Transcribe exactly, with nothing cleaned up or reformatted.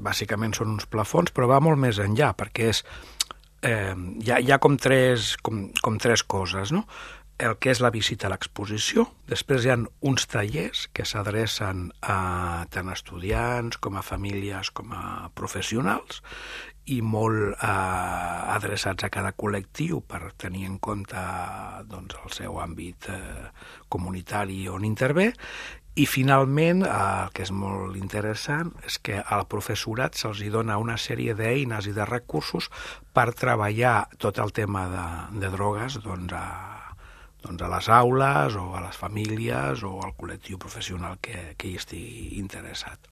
bàsicament són uns plafons, però va molt més enllà, perquè és, eh, hi, ha, hi ha com tres, com, com tres coses, no? El que és la visita a l'exposició, després hi ha uns tallers que s'adrecen a tant estudiants com a famílies com a professionals i molt eh, adreçats a cada col·lectiu per tenir en compte doncs, el seu àmbit eh, comunitari on intervé. I finalment, eh, el que és molt interessant és que al professorat se'ls dona una sèrie d'eines i de recursos per treballar tot el tema de, de drogues doncs, a doncs a les aules o a les famílies o al col·lectiu professional que, que hi estigui interessat.